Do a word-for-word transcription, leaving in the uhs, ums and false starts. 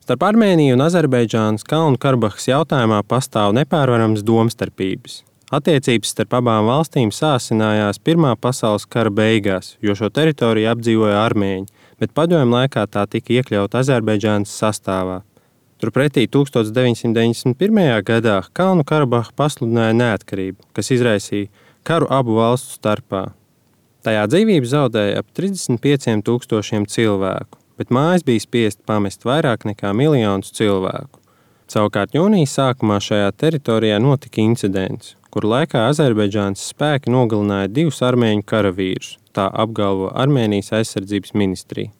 Starp Armēniju un Azerbaidžānas Kalnu Karabahas jautājumā pastāv nepārvarams domstarpības. Attiecības starp abām valstīm sāsinājās Pirmā pasaules kara beigās, jo šo teritoriju apdzīvoja armēņi, bet padomju laikā tā tika iekļauta Azerbaidžānas sastāvā. Turpretī tūkstoš deviņsimt deviņdesmit pirmajā gadā Kalnu Karabaha pasludināja neatkarību, kas izraisīja karu abu valstu starpā. Tajā dzīvību zaudēja ap trisdesmit pieciem tūkstošiem cilvēku, bet mājas bija spiest pamest vairāk nekā miljonus cilvēku. Savukārt jūnija sākumā šajā teritorijā notika incidents, kur laikā Azerbaidžānas spēki nogalināja divus armēņu karavīrus, tā apgalvo Armēnijas aizsardzības ministrija.